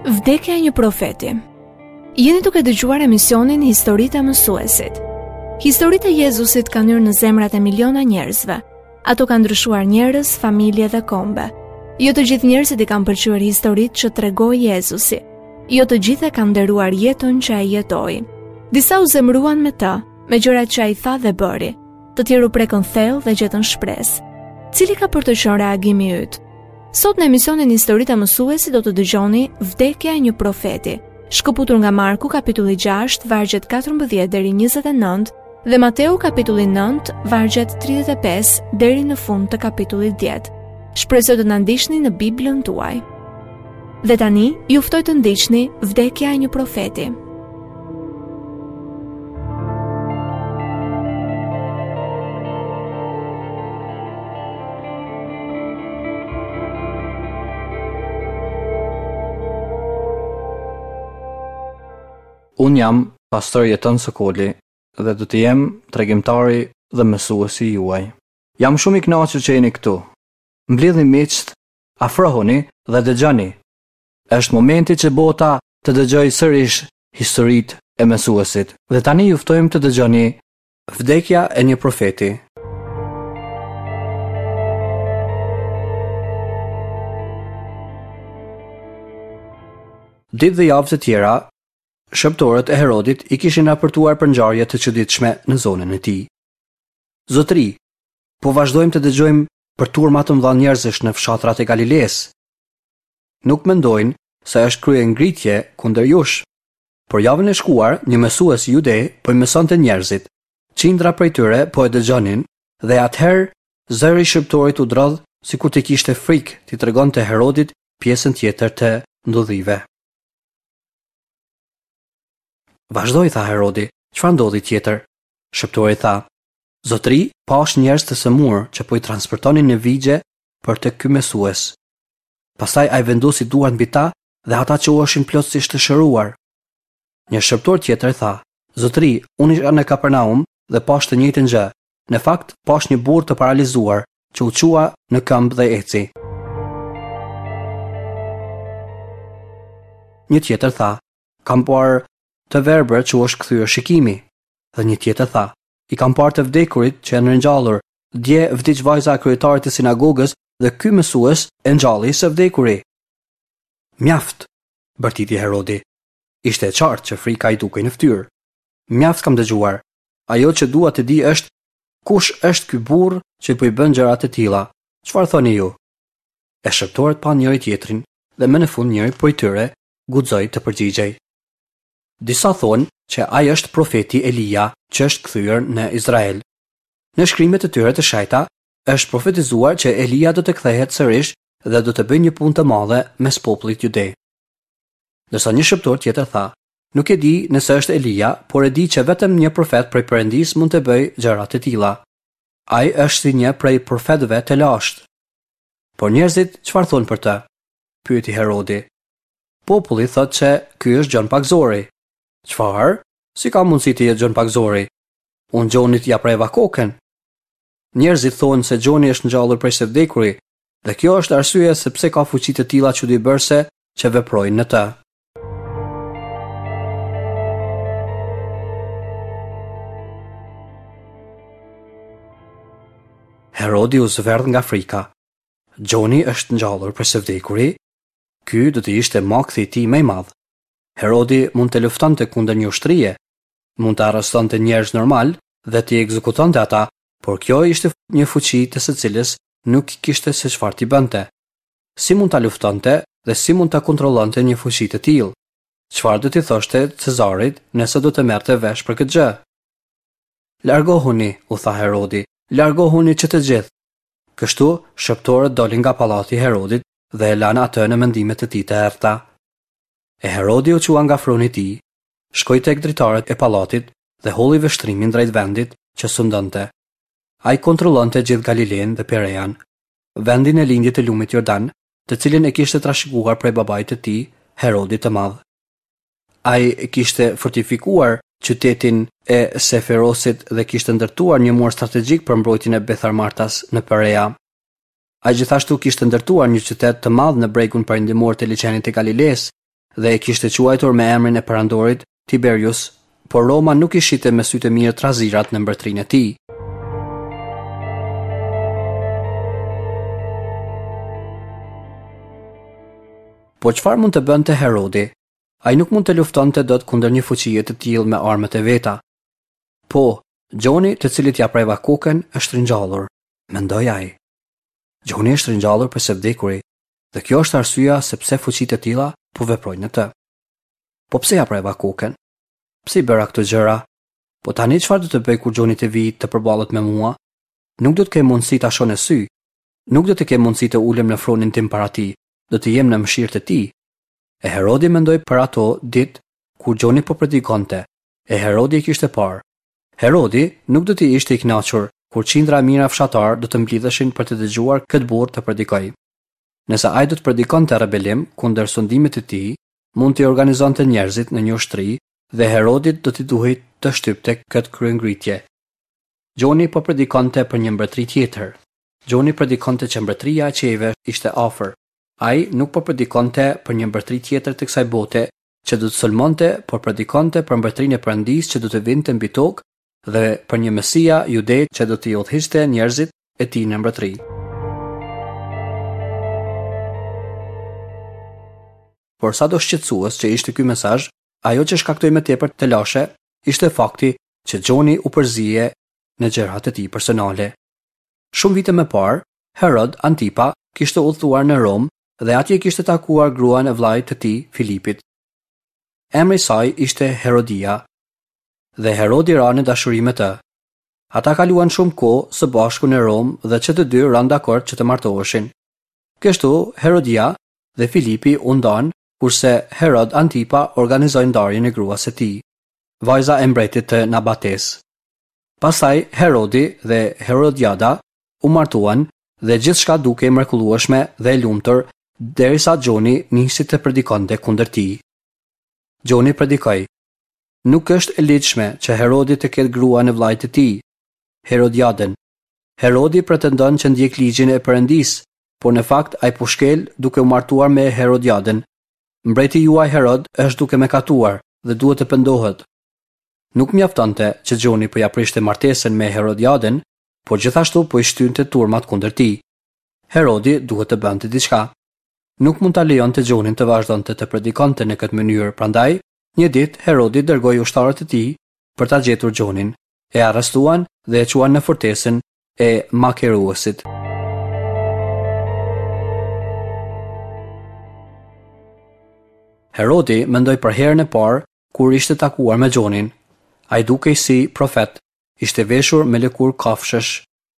Vdekja e një profeti. Jeni duke dëgjuar emisionin Historitë e Mësuesit. Historitë e Jezusit kanë hyrë në zemrat e miliona njerëzve. Ato kanë ndryshuar njerëz, familje dhe kombe. Jo të gjithë njerëzit i kanë pëlqyer historitë që tregoi Jezusi. Jo të gjithë e kanë nderuar jetën që ai jetoi. Disa u zemëruan me të, me gjërat që ai tha dhe bëri. Të tjerë u prekën thellë dhe gjetën shpresë. Cili ka për të qenë reagimi yt? Sot në emisionin Historitë e Mësuesit do të dëgjoni Vdekja e një profeti, shkëputur nga Marku kapitulli 6, vargjet 14 deri 29 dhe Mateu kapitulli 9, vargjet 35 deri në fund të kapitullit 10. Shpresoj të na ndiqni në Biblën tuaj. Dhe tani ju ftoj të ndiqni Vdekja e një profeti. Unë jam pastor Jeton Sokoli dhe do të jem tregimtari dhe mësuesi juaj. Jam shumë i kënaqur që jeni këtu. Mblidhni miqtë, afrohuni dhe dëgjoni. Është momenti që bota të dëgjojë sërish historitë e mësuesit. Dhe tani ju ftojmë të dëgjoni Vdekja e një profeti. Ditë dhe javë të tjera, shërbëtorët e Herodit i kishin raportuar për ngjarje të çuditshme në zonën e tij. Zotëri, po vazhdojmë të dëgjojmë për turma të mëdha njerëzish në fshatrat e Galilesë. Nuk mendojnë se është kryengritje kundër jush. Por javën e shkuar, një mësues jude po i mësonte njerëzit. Qindra prej tyre po e dëgjonin dhe atëherë zëri i shërbëtorit u drodh sikur të kishte frikë t'i tregonte Herodit pjesën tjetër të ndodhive. Vazhdo, tha Herodi, çfarë ndodhi tjetër? Shërbëtori tha, Zotëri, pashë njerëz të sëmurë që po i transportonin në vigje për te ky mësues. Pastaj ai vendosi duart mbi ta dhe ata çoheshin plotësisht të shëruar. Një shërbëtor tjetër tha, Zotëri, unë isha në Kapernaum dhe pashë të njëjtën gjë. Në fakt, pashë një burrë të paralizuar që u çua në këmbë dhe eci. Një tjetër tha, Kam parë të verbër që u është kthyer shikimi. Dhe një tjetër tha, I kam parë të vdekurit që janë ringjallur. Dje vdiq vajza e kryetarit të sinagogës dhe ky mësues e ngjalli së vdekuri. Mjaft! bërtiti Herodi. Ishte e qartë që frika i dukej në fytyrë. Mjaft kam dëgjuar. Ajo që dua të di është kush është ky burrë që po i bën gjëra të tilla. Çfarë thoni ju? E shërbëtorët panë njëri-tjetrin dhe më në fund njëri prej tyre guxoi të përgjigjej. Disa thonë që ai është profeti Elia që është kthyer në Izrael. Në shkrimet e tyre të shenjta është profetizuar që Elia do të kthehet sërish dhe do të bëjë një punë të madhe mes popullit jude. Ndërsa një shërbëtor tjetër tha, Nuk e di nëse është Elia, por e di që vetëm një profet prej Perëndisë mund të bëjë gjëra të tilla. Ai është si një prej profetëve të lashtë. Por njerëzit çfarë thonë për të? pyeti Herodi. Populli thotë që ky është Gjon Pagëzori. Çfarë? Si ka mundësi të jetë Gjon Pagëzori? Unë Gjonit ia preva kokën. Njerëzit thonë se Gjoni është ngjallur prej së vdekuri, dhe kjo është arsyeja se pse ka fuqi të tilla çudibërëse që veprojnë në të. Herodi u zverdh nga frika. Gjoni është ngjallur prej së vdekuri? Ky do të ishte makthi i tij më i madh. Herodi mund të luftonte kundër një ushtrie, mund të arrestonte njerëz normalë dhe t'i ekzekutonte ata, por kjo ishte një fuqi të së cilës nuk kishte se çfarë t'i bënte. Si mund ta luftonte dhe si mund ta kontrollonte një fuqi të tillë? Çfarë do t'i thoshte Cezarit nëse do të merrte vesh për këtë gjë? Largohuni, u tha Herodi, largohuni që të gjithë. Kështu, shërbëtorët dolën nga pallati i Herodit dhe e lanë atë në mendimet e tij të errëta. E Herodi u çua nga froni i tij, shkoi tek dritaret e pallatit dhe hodhi vështrimin drejt vendit që sundonte. Ai kontrollonte gjithë Galilenë dhe Perean, vendin në lindje të lumit Jordan, të cilin e kishte trashëguar prej babait të tij, Herodit të Madh. Ai kishte fortifikuar qytetin e Seferosit dhe kishte ndërtuar një mur strategjik për mbrojtjen e Betharmartas në Perea. Ai gjithashtu kishte ndërtuar një qytet të madh në bregun perëndimor të liqenit të Galilesë. dhe e kishte quajtur me emrin e perandorit Tiberius, por Roma nuk i shihte me sy të mirë trazirat në mbretërinë e tij. Por çfarë mund të bënte Herodi? Ai nuk mund të luftonte dot kundër një fuqie të tillë me armët e veta. Po, Gjoni, të cilit ia preva kokën, është ringjallur, mendoi ai. Gjoni është ringjallur prej së vdekuri, dhe kjo është arsyeja se pse fuqi të tilla po veprojnë në të. Po pse ia preva kokën? Pse i bëra këto gjëra? Po tani çfarë do të bëj kur Gjoni të vijë të përballet me mua? Nuk do të kem mundësi ta shoh në sy. Nuk do të kem mundësi të ulem në fronin tim para tij, do të jem në mëshirë të tij. E Herodi mendoi për ato ditë kur Gjoni po predikonte, e Herodi e kishte parë. Herodi nuk do të ishte i kënaqur kur qindra e mijëra fshatarë do të mblidheshin për të dëgjuar këtë burrë të predikojë. Nëse ai do të predikonte rebelim kundër sundimit të tij, mund t'i organizonte njerëzit në një ushtri dhe Herodit do t'i duhej të shtypte këtë kryengritje. Gjoni po predikonte për një mbretëri tjetër. Gjoni predikonte që mbretëria e qiejve ishte afër. Ai nuk po predikonte për një mbretëri tjetër të kësaj bote që do të sulmonte, por predikonte për mbretërinë e Perëndisë që do të vinte mbi tokë dhe për një Mesia jude që do t'i udhëhiqte njerëzit e tij në mbretëri. Por sado shqetësues që ishte ky mesazh, ajo që shkaktoi më tepër telashe ishte fakti që Gjoni u përzie në gjërat e tij personale. Shumë vite më parë, Herod Antipa kishte udhëtuar në Romë dhe atje kishte takuar gruan e vëllait të tij, Filipit. Emri i saj ishte Herodia dhe Herodi ra në dashuri me të. Ata kaluan shumë kohë së bashku në Romë dhe që të dy ranë dakord që të martoheshin. Kështu, Herodia dhe Filipi u ndanë, kurse Herod Antipa organizoi ndarjen e gruas së tij, vajza e mbretit të Nabatesë. Pastaj Herodi dhe Herodiada u martuan dhe gjithçka dukej e mrekullueshme dhe e lumtur derisa Gjoni nisi të predikonte kundër tij. Gjoni predikoi, Nuk është e ligjshme që Herodi të ketë gruan e vëllait të tij, Herodiadën. Herodi pretendon që ndjek ligjin e Perëndisë, por në fakt ai po shkel duke u martuar me Herodiadën. Mbreti juaj Herod është duke mëkatuar dhe duhet të pendohet. Nuk mjaftonte që Gjoni po ia prishte martesën me Herodiadën, por gjithashtu po i shtynte turmat kundër tij. Herodi duhet të bënte diçka. Nuk mund ta lejonte Gjonin të vazhdonte të predikonte në këtë mënyrë, prandaj, një ditë Herodi dërgoi ushtarët e tij për ta gjetur Gjonin. E arrestuan dhe e çuan në fortesën e Makeruesit. Herodi mendoi për herën e parë kur ishte takuar me Gjonin. Ai dukej si profet, ishte veshur me lëkurë kafshësh,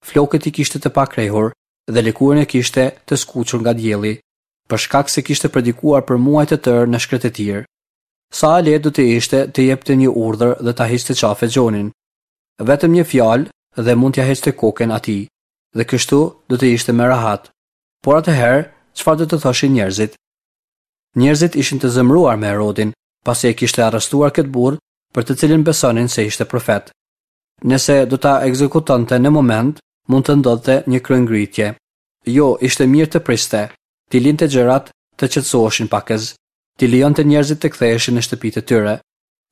flokët i kishte të pakrehur dhe lëkurën e kishte të skuqur nga dielli, për shkak se kishte predikuar për muaj të tërë në shkretëtirë. Sa e lehtë do të ishte të jepte një urdhër dhe ta hiqte qafe Gjonin. Vetëm një fjalë dhe mund t'ia hiqte kokën atij, dhe kështu do të ishte më rehat. Por atëherë, çfarë do të thoshin njerëzit? Njerëzit ishin të zemëruar me Herodin, pasi e kishte arrestuar këtë burrë për të cilin besonin se ishte profet. Nëse do ta ekzekutonte në moment, mund të ndodhte një kryengritje. Jo, ishte mirë të priste, t'i linte gjërat të qetësoheshin pakëz, t'i lejonte njerëzit të ktheheshin në shtëpitë e tyre,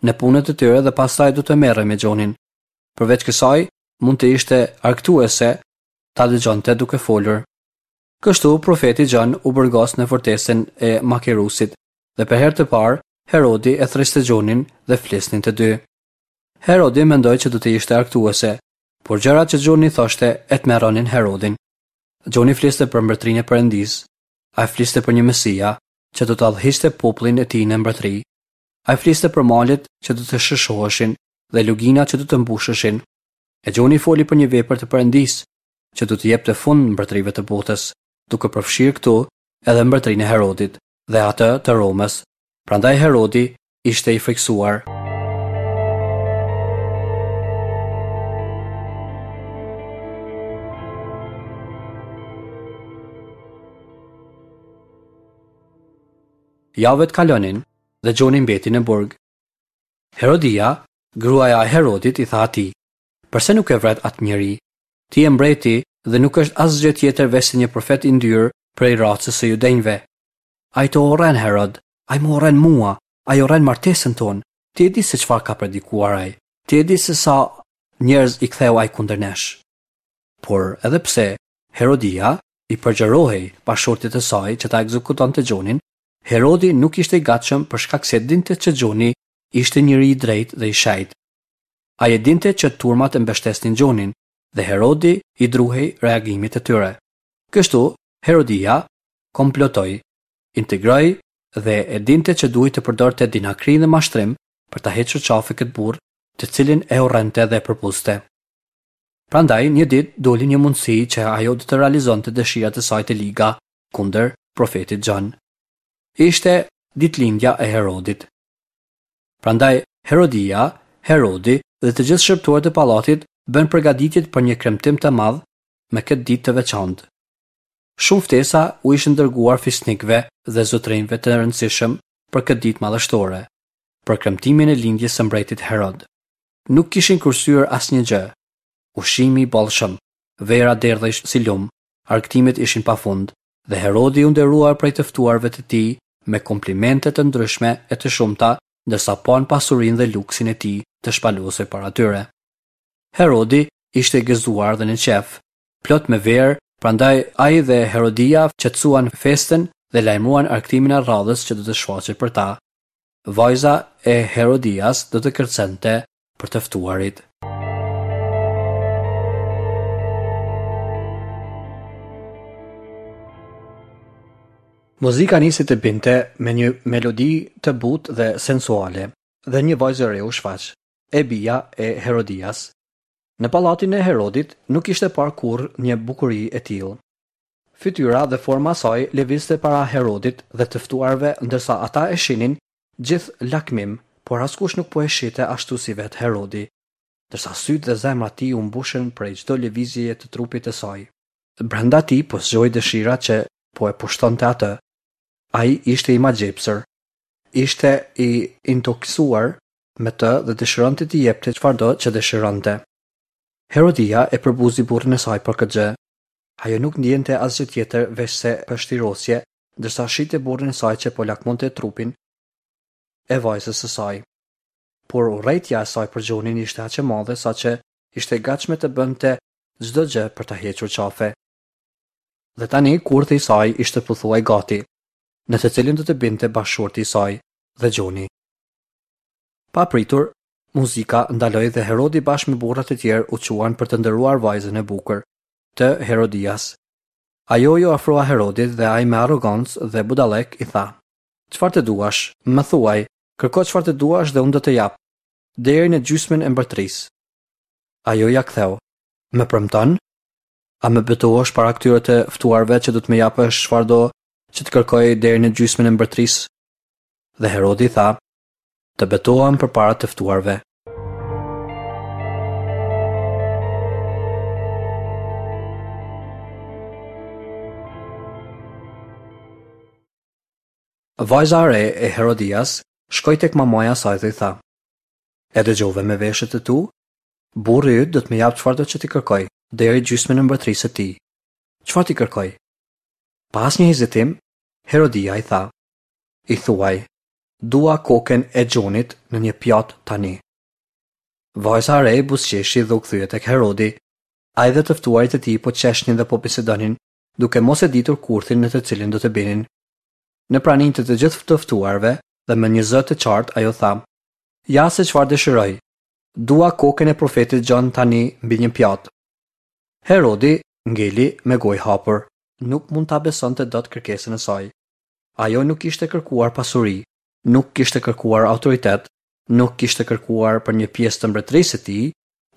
në punët e tyre dhe pastaj do të merrej me Gjonin. Përveç kësaj, mund të ishte argëtuese ta dëgjonte duke folur. Kështu, profeti Gjon u burgos në fortesën e Makerusit dhe për herë të parë, Herodi e thërriste Gjonin dhe flisnin të dy. Herodi mendoi që do të ishte argëtuese, por gjërat që Gjoni thoshte e tmerronin Herodin. Gjoni fliste për mbretërinë e Perëndisë. Ai fliste për një Mesia që do ta udhëhiqte popullin e tij në mbretëri. Ai fliste për malet që do të sheshoheshin dhe luginat që do të mbusheshin. E Gjoni foli për një vepër të Perëndisë që do t'i jepte fund mbretërive të botës, duke përfshirë këtu edhe mbretërinë e Herodit dhe atë të Romës. Prandaj Herodi ishte i frikësuar. Javët kalonin dhe Gjoni mbeti në burg. Herodia, gruaja e Herodit i tha atij, Përse nuk e vret atë njeri? Ti je mbreti dhe nuk është asgjë tjetër veçse një profet i ndyrë prej racës së judenjve. Ai të urren, Herod. Ai më urren mua, ai urren martesën tonë. Ti e di se çfarë ka predikuar ai. Ti e di se sa njerëz i ktheu ai kundër nesh. Por edhe pse Herodia i përgjërohej bashkëshortit të saj që ta ekzekutonte Gjonin, Herodi nuk ishte i gatshëm për shkak se dinte që Gjoni ishte njeri i drejtë dhe i shenjtë. Ai e dinte që turmat e mbështesnin Gjonin dhe Herodi i druhej reagimit të tyre. Kështu, Herodia komplotoi, integroi dhe e dinte që duhej të përdorte dinakëri dhe mashtrim për ta hequr qafe këtë burrë, të cilin e urrente dhe e përbuzte. Prandaj, një ditë doli një mundësi që ajo do të realizonte dëshirat e saj të liga kundër profetit Gjon. Ishte ditëlindja e Herodit. Prandaj, Herodia, Herodi dhe të gjithë shërbëtorët e pallatit bënë përgatitjet për një kremtim të madh me këtë ditë të veçantë. Shumë ftesa u ishin dërguar fisnikëve dhe zotërinjve të rëndësishëm për këtë ditë madhështore, për kremtimin e lindjes së mbretit Herod. Nuk kishin kursyer asnjë gjë. Ushqimi i bollshëm, vera derdhej si lumë, argëtimet ishin pafund dhe Herodi u nderua prej të ftuarve të tij me komplimente të ndryshme e të shumta ndërsa panë pasurinë dhe luksin e tij të shpalosej para tyre. Herodi ishte i gëzuar dhe në qejf, plot me verë, prandaj ai dhe Herodia qetësuan festën dhe lajmëruan argëtimin e radhës që do të shfaqej për ta. Vajza e Herodias do të kërcente për të ftuarit. Muzika nisi të binte me një melodi të butë dhe sensuale dhe një vajzë e re u shfaq, e bija e Herodias. Në pallatin e Herodit nuk ishte parë kurrë një bukuri e tillë. Fytyra dhe forma e saj lëvizte para Herodit dhe të ftuarve ndërsa ata e shihnin gjithë lakmim, por askush nuk po e shihte ashtu si vetë Herodi, ndërsa sytë dhe zemra e tij u mbushën prej çdo lëvizjeje të trupit të saj. Brenda tij po zgjohej dëshira që po e pushtonte atë. Ai ishte i magjepsur. Ishte i intoksuar me të dhe dëshironte t'i jepte çfarëdo që dëshironte. Herodia e përbuzi burrin e saj për këtë gjë. Ajo nuk ndiente asgjë tjetër veçse pështirosje, ndërsa shihte burrin e saj që po lakmonte trupin e vajzës së saj. Por urrejtja e saj për Gjonin ishte aq e madhe saqë ishte e gatshme të bënte çdo gjë për ta hequr qafe. Dhe tani kurthi i saj ishte pothuaj gati, në të cilin do të binte bashkëshorti i saj dhe Gjoni. Papritur, muzika ndaloi dhe Herodi bashkë me burrat e tjerë u çuan për të nderuar vajzën e bukur të Herodias. Ajo iu afrua Herodit dhe ai me arrogancë dhe budallëk i tha: Çfarë të duash, më thuaj, kërko çfarë të duash dhe unë do të jap, deri në gjysmën e mbretërisë. Ajo ia ktheu: Më premton? A më betohesh para këtyre të ftuarve që do të më japësh çfarëdo që të kërkoj deri në gjysmën e mbretërisë? Dhe Herodi tha, Të betohem përpara të ftuarve. Vajza e re e Herodias shkoi tek mamaja e saj dhe i tha: E dëgjove me veshët e tu? Burri yt do të më japë çfarëdo që t'i kërkoj, deri gjysmën e mbretërisë së tij. Çfarë t'i kërkoj? Pa asnjë hezitim, Herodia i tha: I thuaj, dua kokën e Gjonit në një pjatë tani. Vajza e re buzëqeshi dhe u kthye tek Herodi. Ai dhe të ftuarit e tij po qeshnin dhe po bisedonin, duke mos e ditur kurthin në të cilin do të binin. Në praninë të të gjithë të ftuarve dhe me një zë të qartë ajo tha, Ja se çfarë dëshiroj. Dua kokën e profetit Gjon tani mbi një pjatë. Herodi ngeli me gojë hapur. Nuk mund ta besonte dot kërkesën e saj. Ajo nuk kishte kërkuar pasuri, nuk kishte kërkuar autoritet, nuk kishte kërkuar për një pjesë të mbretërisë së tij,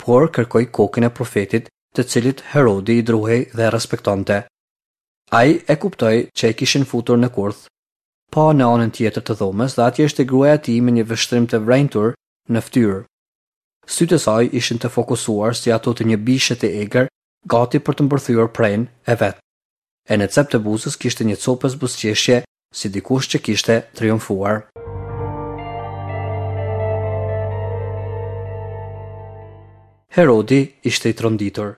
por kërkoi kokën e profetit, të cilit Herodi i druhej dhe e respektonte. Ai e kuptoi që e kishin futur në kurth. Pa në anën tjetër të dhomës dhe atje ishte gruaja e tij me një vështrim të vrenjtur në fytyrë. Sytë e saj ishin të fokusuar si ato të një bishe të egër, gati për të mbërthyer prenë e vet. E në cep të buzës kishte një copëz buzëqeshje si dikush që kishte triumfuar. Herodi ishte i tronditur.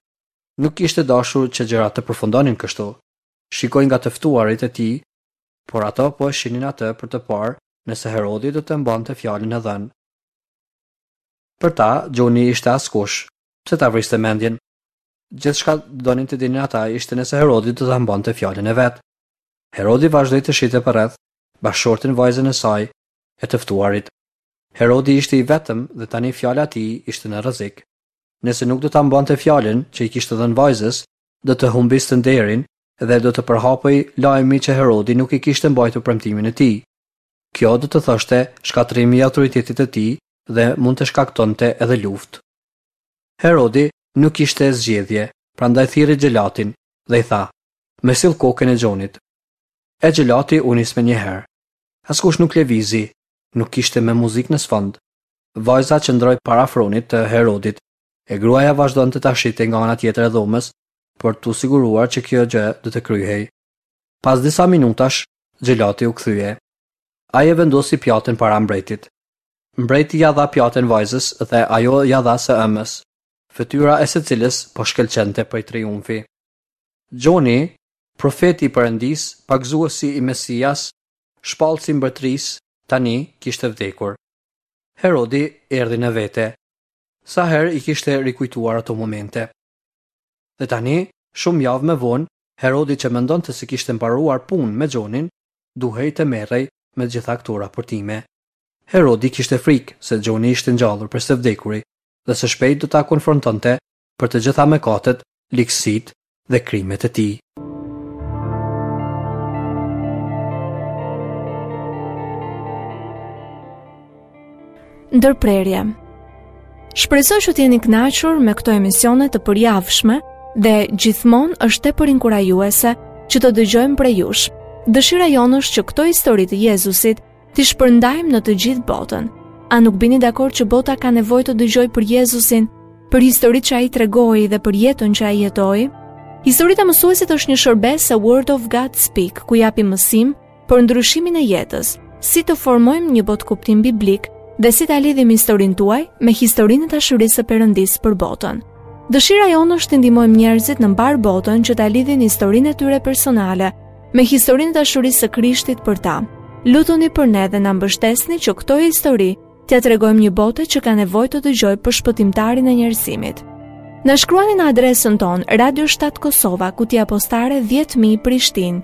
Nuk kishte dashur që gjërat të përfundonin kështu. Shikoi nga të ftuarit e tij. Por ato po e shihnin atë për të parë nëse Herodi do të mbante fjalën e dhënë. Për ta, Gjoni ishte askush, pse ta vriste mendjen? Gjithçka donin të dinin ata ishte nëse Herodi do ta mbante fjalën e vet. Herodi vazhdoi të shihte përreth, bashkëshorten vajzën e saj e të ftuarit. Herodi ishte i vetëm dhe tani fjala e tij ishte në rrezik. Nëse nuk do ta mbante fjalën që i kishte dhënë vajzës, do të humbiste nderin dhe do të përhapej lajmi që Herodi nuk e kishte mbajtur premtimin e tij. Kjo do të thoshte shkatërrimi i autoritetit të tij dhe mund të shkaktonte edhe luftë. Herodi nuk kishte zgjedhje, prandaj thirri xhelatin dhe i tha, Më sill kokën e Gjonit. E xhelati u nis menjëherë. Askush nuk lëvizi, nuk kishte më muzikë në sfond. Vajza qëndroi para fronit të Herodit, e gruaja vazhdonte ta shihte nga ana tjetër e dhomës për t'u siguruar që kjo gjë do të kryhej. Pas disa minutash, xhelati u kthye. Ai e vendosi pjatën para mbretit. Mbreti ia dha pjatën vajzës dhe ajo ia dha së ëmës, fytyra e së cilës po shkëlqente prej triumfi. Gjoni, profeti i Perëndisë, pagëzuesi i Mesias, shpallësi i mbretërisë, tani kishte vdekur. Herodi erdhi në vete. Sa herë i kishte rikujtuar ato momente. Dhe tani, shumë javë më vonë, Herodi që mendonte se kishte mbaruar punë me Gjonin, duhej të merrej me gjitha këto raportime. Herodi kishte frikë se Gjoni ishte ngjallur prej së vdekuri dhe së shpejt do ta konfrontonte për të gjitha mëkatet, ligësitë dhe krimet e tij. Ndërprerje. Shpresoj që të jeni kënaqur me këto emisione të përjavshme dhe gjithmonë është tepër inkurajuese që të dëgjojmë prej jush. Dëshira jonë është që këto histori të Jezusit t'i shpërndajmë në të gjithë botën. A nuk bini dakord që bota ka nevojë të dëgjojë për Jezusin, për historitë që ai tregoi dhe për jetën që ai jetoi? Historitë e mësuesit është një shërbesë e Word of God Speak, ku japim mësim për ndryshimin e jetës, si të formojmë një botëkuptim biblik dhe si ta lidhim historinë tuaj me historinë e dashurisë së Perëndisë për botën. Dëshira jonë është të ndihmojmë njerëzit në mbarë botën që ta lidhin historinë e tyre personale me historinë e dashurisë së Krishtit për ta. Lutuni për ne dhe na mbështesni që këto histori t'ia tregojmë një bote që ka nevojë të dëgjojë për shpëtimtarin e njerëzimit. Na shkruani në adresën tonë Radio 7 Kosova, kutia postare 10000 Prishtinë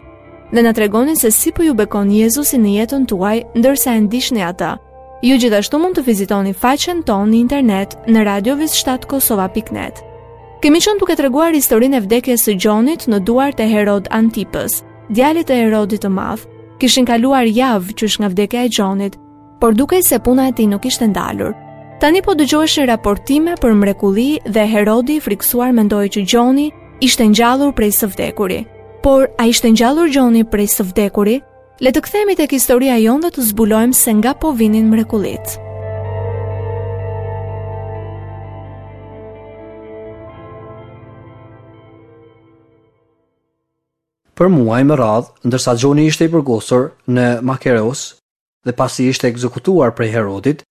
dhe na tregoni se si po ju bekon Jezusi në jetën tuaj ndërsa e ndiqni atë. Ju gjithashtu mund të vizitoni faqen tonë në internet në radio.7kosova.net. Kemi qenë duke treguar historinë e vdekjes së Gjonit në duart e Herod Antipës, djalit të Herodit të Madh. Kishin kaluar javë qysh nga vdekja e Gjonit, por dukej se puna e tij nuk ishte ndalur. Tani po dëgjoheshin raportime për mrekulli dhe Herodi i frikësuar mendoi që Gjoni ishte ngjallur prej së vdekuri. Por a ishte ngjallur Gjoni prej së vdekuri? Le të kthehemi tek historia jonë dhe të zbulojmë se nga po vinin mrekullitë. Për muaj me radhë, ndërsa Gjoni ishte i burgosur në Makereus, dhe pasi ishte ekzekutuar prej Herodit,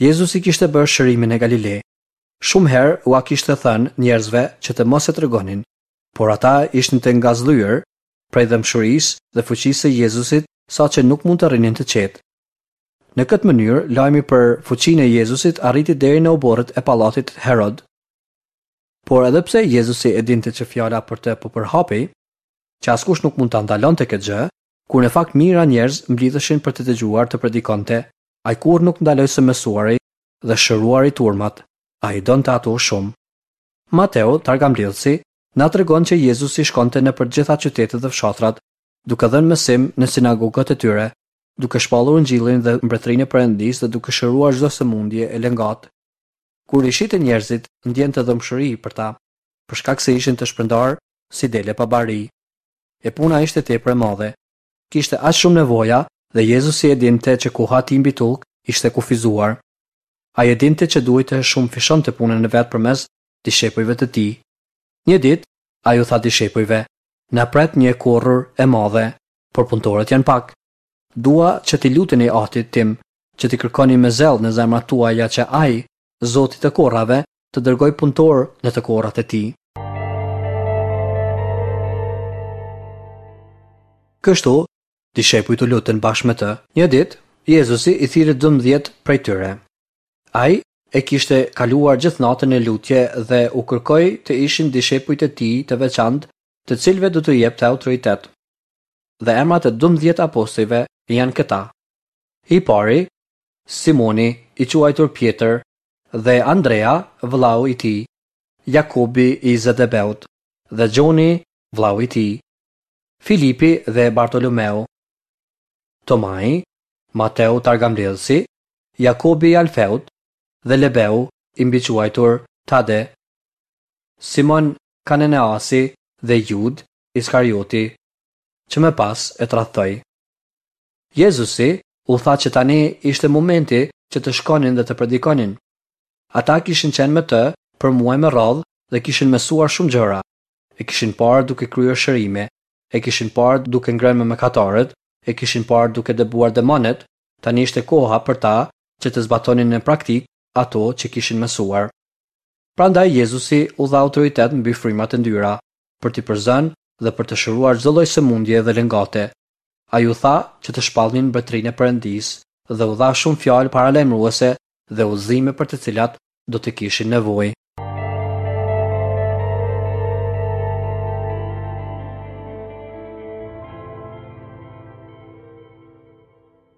Jezusi kishte bërë shërimin në Galile. Shumë herë ua kishte thënë njerëzve që të mos e tregonin, por ata ishin të ngazëllyer prej dhembshurisë dhe fuqisë së Jezusit saqë nuk mund të rrinin të qetë. Në këtë mënyrë, lajmi për fuqinë e Jezusit arriti deri në oborret e pallatit Herod. Por edhe pse Jezusi e dinte që fjala për të po përhapej, që askush nuk mund ta ndalonte këtë gjë, Kur në fakt mijëra njerëz mblidheshin për të dëgjuar të predikonte, ai kurrë nuk ndaloi së mësuari dhe shëruari turmat, ai i donte ato shumë. Mateu, targamblidhësi, na tregon që Jezusi shkonte nëpër të gjitha qytetet dhe fshatrat, duke dhënë mësim në sinagogat e tyre, duke shpallur Ungjillin dhe Mbretërinë e Perëndisë dhe duke shëruar çdo sëmundje e lëngatë. Kur i shihte njerëzit, ndjente dhembshuri për ta, për shkak se ishin të shpërndarë si dele pa bari. E puna ishte tepër e madhe. Kishte aq shumë nevoja dhe Jezusi e dinte që koha e tij mbi tokë ishte kufizuar. Ai e dinte që duhej të shumëfishonte punën e vet përmes dishepujve të tij. Një ditë, ai u tha dishepujve, Na pret një e korrur e madhe, por punëtorët janë pak. Dua që t'i luteni Atit tim, që t'i kërkoni me zell në zemrat tuaja që Ai, Zoti i të korrave, të dërgojë punëtorë në të korrat e tij. Kështu, Dishepujt u lutën bashkë me të. Një ditë, Jezusi i thirri 12 prej tyre. Ai e kishte kaluar gjithë natën në lutje dhe u kërkoi të ishin dishepujt e tij të veçantë, të cilëve do t'u jepte autoritet. Dhe emrat e 12 apostujve janë këta. I pari, Simoni, i quajtur Pjetër, dhe Andrea, vëllau i tij, Jakobi i Zebedeut, dhe Gjoni, vëllau i tij, Filipi dhe Bartolomeu, Tomai, Mateu targambledhësi, Jakobi i Alfeut dhe Lebeu i mbiquajtur Tade, Simon Kananeasi dhe Judë Iskarioti, që më pas e tradhtoi. Jezusi u tha që tani ishte momenti që të shkonin dhe të predikonin. Ata kishin qenë me të për muaj me radhë dhe kishin mësuar shumë gjëra. E kishin parë duke kryer shërime, e kishin parë duke ngrënë me mëkatarët, e kishin parë duke dëbuar demonët, tani ishte koha për ta që të zbatonin në praktikë ato që kishin mësuar. Prandaj Jezusi u dha autoritet mbi frymat e ndyra, për t'i përzënë dhe për të shëruar çdo lloj sëmundje dhe lëngate. Ai u tha që të shpallnin mbretërinë e Perëndisë dhe u dha shumë fjalë paralajmëruese dhe udhëzime për të cilat do të kishin nevojë.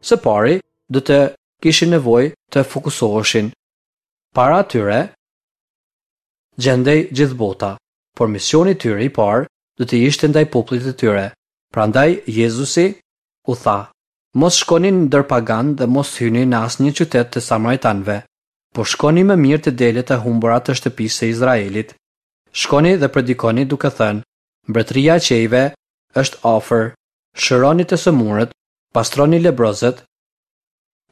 Së pari, do të kishin nevojë të fokusoheshin. Para tyre gjendej gjithë bota, por misioni i tyre i parë do të ishte ndaj popullit të tyre. Prandaj Jezusi u tha, Mos shkoni ndër paganë dhe mos hyni në asnjë qytet të samaritanëve, por shkoni më mirë te delet e humbura të shtëpisë së Izraelit. Shkoni dhe predikoni duke thënë, Mbretëria e qiejve është afër, shëroni të sëmurët, pastroni lebrozët,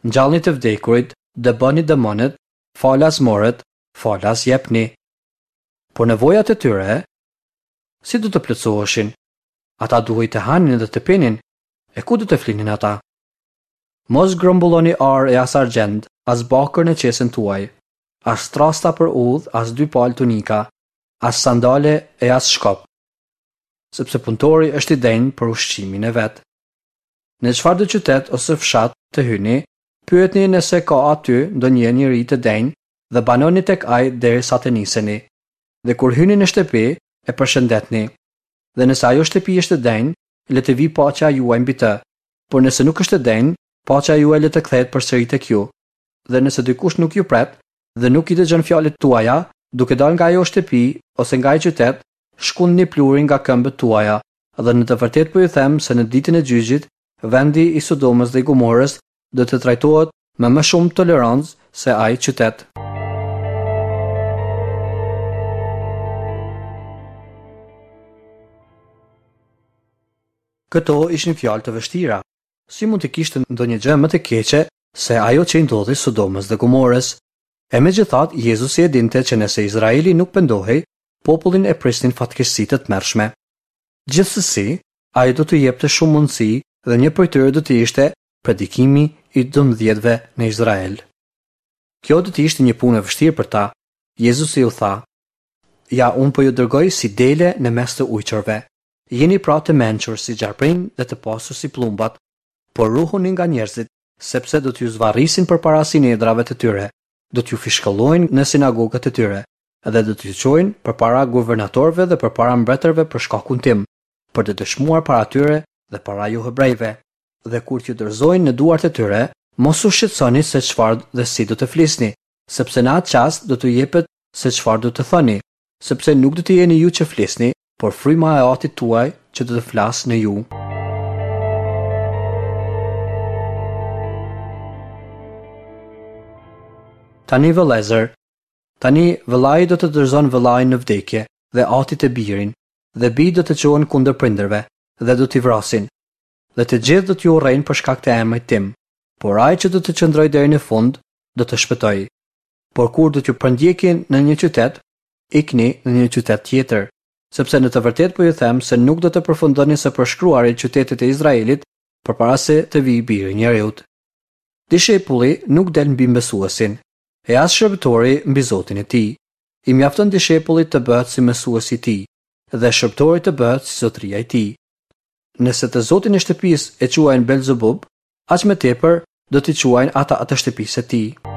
ngjallni të vdekurit, dëboni demonët, falas morët, falas jepni. Por nevojat e tyre, si do të plotësoheshin? Ata duhej të hanin dhe të pinin, e ku do të flinin ata? Mos grumbulloni ar e as argjend, as bakër në qesen tuaj, as trasta për udhë, as dy palë tunika, as sandale e as shkop, sepse punëtori është i denjë për ushqimin e vet. Në çfarëdo qytet ose fshat të hyni, pyetni nëse ka aty ndonjë njeri të denjë dhe banoni tek ai derisa të niseni. Dhe kur hyni në shtëpi, e përshëndetni. Dhe nëse ajo shtëpi është e denjë, le të vijë paqja juaj mbi të. Por nëse nuk është e denjë, paqja juaj le të kthehet përsëri tek ju. Dhe nëse dikush nuk ju pret dhe nuk i dëgjon fjalët tuaja, duke dalë nga ajo shtëpi ose nga ai qytet, shkundni pluhurin nga këmbët tuaja, dhe në të vërtetë po ju them se në ditën e gjyqit, vendi i Sodomës dhe i Gomorës do të trajtohet me më shumë tolerancë se ai qytet. Këto ishin fjalë të vështira. Si mund të kishte ndonjë gjë më të keqe se ajo që i ndodhi Sodomës dhe Gomorës? E megjithatë, Jezusi e dinte që nëse Izraeli nuk pendohej, popullin e prisnin fatkeqësi të tmerrshme. Gjithsesi, ai do t'u jepte shumë mundësi dhe një prej tyre do të ishte predikimi i dymbëdhjetëve në Izrael. Kjo do të ishte një punë e vështirë për ta. Jezusi u tha, Ja, unë po ju dërgoj si dele në mes të ujqërve. Jini pra të mençur si gjarpërinj dhe të pastër si pëllumbat, por ruhuni nga njerëzit, sepse do t'ju zvarrisin përpara sinedrave të tyre, do t'ju fishkëllojnë në sinagogat e tyre, dhe do t'ju çojnë përpara guvernatorëve dhe përpara mbretërve për shkakun tim, për të dëshmuar para tyre dhe para johebrejve. Dhe kur t'ju dorëzojnë në duart e tyre, mos u shqetësoni se çfarë dhe si do të flisni, sepse në atë çast do t'ju jepet se çfarë do të thoni, sepse nuk do të jeni ju që flisni, por fryma e Atit tuaj që do të flasë në ju. Tani vëllezër, tani vëllai do të dorëzon vëllain në vdekje dhe ati të birin, dhe bijtë do të çohen kundër prindërve dhe do t'i vrasin. Dhe të gjithë do t'ju urrejnë për shkak të emrit tim, por ai që do të qëndrojë deri në fund do të shpëtojë. Por kur do t'ju përndjekin në një qytet, ikni në një qytet tjetër, sepse në të vërtetë po ju them se nuk do të përfundoni së përshkruari qytetet e Izraelit përpara se të vijë Biri i Njeriut. Dishepulli nuk del mbi mësuesin, e as shërbëtori mbi zotin e tij. I mjafton dishepullit të bëhet si mësuesi i tij, dhe shërbëtori të bëhet si zotëria i tij. Nëse të zotin e shtëpisë e quajnë Belzebub, aq më tepër do t'i quajnë ata të shtëpisë së tij.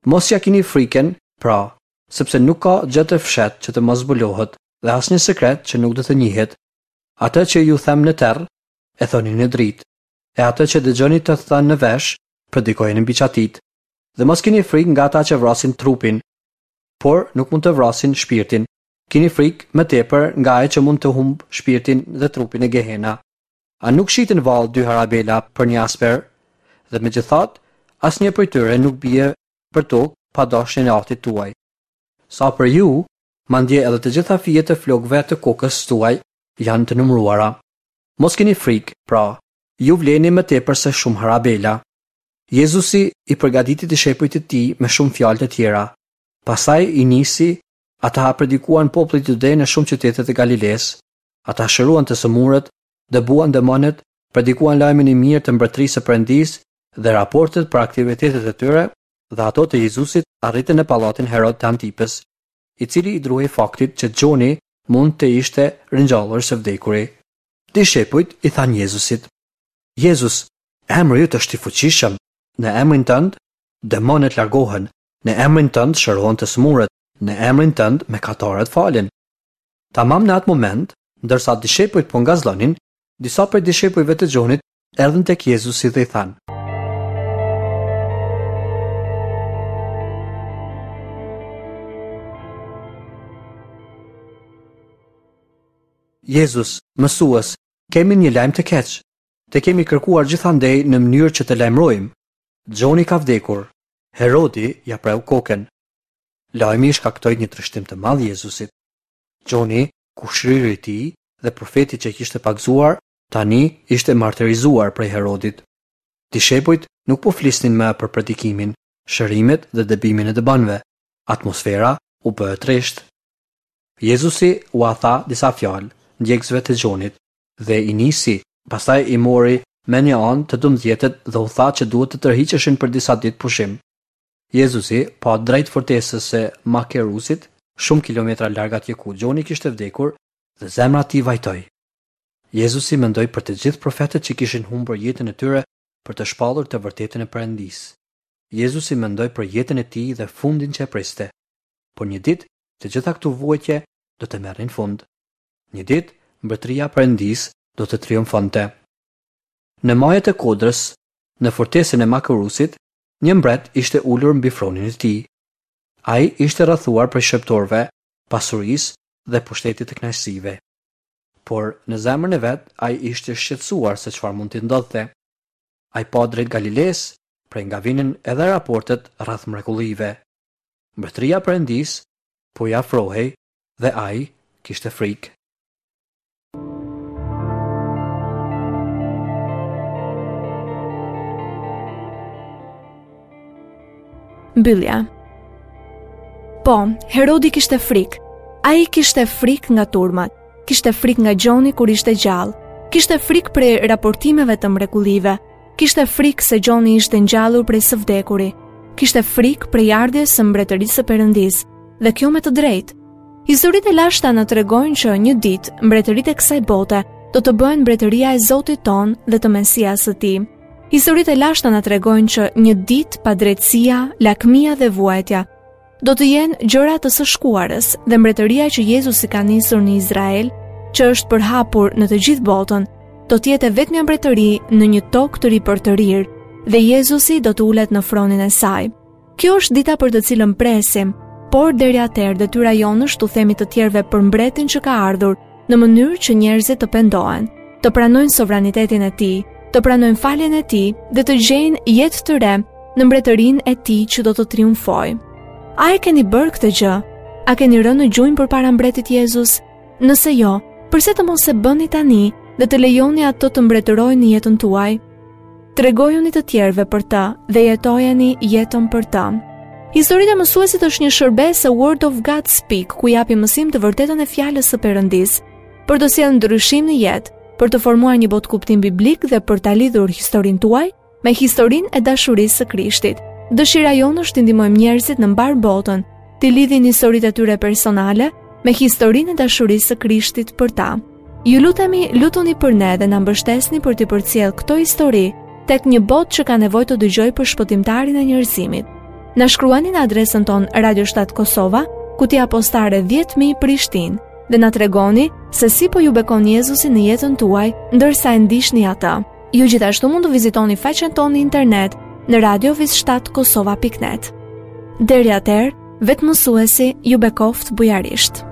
Mos ia kini frikën, pra, sepse nuk ka gjë të fshehtë që të mos zbulohet dhe asnjë sekret që nuk do të njihet. Atë që ju them në terr, e thoni në dritë, e atë që dëgjoni të thënë në vesh, predikojeni mbi çatitë. Dhe mos kini frikë nga ata që vrasin trupin, por nuk mund të vrasin shpirtin. Kini frikë më tepër nga ai që mund të humbë shpirtin dhe trupin në Gehena. A nuk shiten vallë dy harabela për një asper? Dhe megjithatë, asnjë prej tyre nuk bie për tokë pa dashjen e Atit tuaj. Sa për ju, madje edhe të gjitha fijet e flokëve të kokës tuaj janë të numëruara. Mos kini frikë, pra, ju vleni më tepër se shumë harabela. Jezusi i përgatiti dishepujt e tij me shumë fjalë të tjera. Pastaj i nisi, ata predikuan popullit Jude në shumë qytete të Galilesë. Ata shëruan të sëmurët, dëbuan demonët, predikuan lajmin e mirë të mbretërisë së Perëndisë dhe raportet për aktivitetet e tyre dhe ato të Jezusit arritën në pallatin Herod të Antipës, i cili i druhej faktit që Gjoni mund të ishte ringjallur së vdekuri. Dishepujt i thanë Jezusit: Jezus, emri yt është i fuqishëm, në emrin tënd demonët largohen, në emrin tënd shërohen të sëmurët, në emrin tënd mëkatarët falen. Tamam në atë moment, ndërsa dishepujt po ngazëllonin, disa prej dishepujve të Gjonit erdhën tek Jezusi dhe i thanë: Jezus, mësues, kemi një lajm të keq. Të kemi kërkuar gjithandej në mënyrë që të lajmërojmë. Gjoni ka vdekur. Herodi ia preu kokën. Lajmi i shkaktoi një trishtim të madh Jezusit. Gjoni, kushëriri i tij dhe profeti që e kishte pagëzuar, tani ishte martirizuar prej Herodit. Dishepujt nuk po flisnin më për predikimin, shërimet dhe dëbimin e demonëve. Atmosfera u bë e trishtë. Jezusi ua tha disa fjalë ndjekësve të Gjonit dhe i nisi, pastaj i mori mënjanë të dymbëdhjetët dhe u tha që duhet të tërhiqeshin për disa ditë pushim. Jezusi pa drejt fortesës së Makerusit, shumë kilometra larg atje ku Gjoni kishte vdekur, dhe zemra e tij vajtoi. Jezusi mendoi për të gjithë profetët që kishin humbur jetën e tyre për të shpallur të vërtetën e Perëndisë. Jezusi mendoi për jetën e tij dhe fundin që e priste. Por një ditë, të gjitha këto vuajtje do të merrnin fund. Një ditë, mbretëria e Perëndisë do të triumfonte. Në maje të kodrës, në fortesën e Makerusit, një mbret ishte ulur mbi fronin e tij. Ai ishte rrethuar prej shërbëtorëve, pasurisë dhe pushtetit të kënaqësive. Por, në zemrën e vet, ai ishte shqetësuar se çfarë mund t'i ndodhte. Ai pa drejt Galilesë, prej nga vinin edhe raportet rreth mrekullive. Mbretëria e Perëndisë po i afrohej dhe ai kishte frikë. Mbyllja. Po, Herodi kishte frikë. Ai kishte frikë nga turmat, kishte frikë nga Gjoni kur ishte gjallë, kishte frikë prej raportimeve të mrekullive, Kishte frikë se Gjoni ishte ngjallur prej së vdekuri. Kishte frikë prej ardhjes së mbretërisë së Perëndisë, dhe kjo me të drejtë. Historitë e lashta na tregojnë që një ditë mbretëritë e kësaj bote do të bëhen mbretëria e Zotit tonë dhe të Mesias së tij. Historitë e lashta na tregojnë që një ditë padrejtësia, lakmia dhe vuajtja do të jenë gjëra të së shkuarës dhe mbretëria që Jezusi ka nisur në Izrael, që është përhapur në të gjithë botën, do të jetë e vetmja mbretëri në një tokë të ripërtërirë dhe Jezusi do të ulet në fronin e saj. Kjo është dita për të cilën presim, por deri atëherë detyra jonë është t'u themi të tjerëve për mbretin që ka ardhur, në mënyrë që njerëzit të pendohen, të pranojnë sovranitetin e tij, të pranojnë faljen e tij dhe të gjejnë jetë të re në mbretërinë e tij që do të triumfojë. A e keni bërë këtë gjë? A keni rënë në gjunjë përpara mbretit Jezus? Nëse jo, përse të mos e bëni tani dhe të lejoni atë të mbretërojë në jetën tuaj? Tregojuni të tjerëve për të dhe jetojeni jetën për të. Historitë e mësuesit është një shërbesë e Word of God Speak, ku japim mësim të vërtetën e fjalës së Perëndisë, për të sjellë ndryshim në jetë, për të formuar një botëkuptim biblik dhe për ta lidhur historinë tuaj. me historinë e dashurisë së Krishtit. Dëshira jonë është t'i ndihmojmë njerëzit në mbarë botën, t'i lidhin historitë e tyre personale me historinë e dashurisë së Krishtit për ta. Ju lutemi, lutuni për ne dhe na mbështesni për t'i përcjellë këto histori tek një botë që ka nevojë të dëgjojë për shpëtimtarin e njerëzimit. Na shkruani në adresën tonë Radio 7 Kosova, kutia postare 10000 Prishtinë dhe na tregoni se si po ju bekon Jezusi në jetën tuaj ndërsa e ndiqni atë. Ju gjithashtu mund të vizitoni faqen tonë në internet në radio.7kosova.net. Deri atëherë, vetë mësuesi ju bekoftë bujarisht.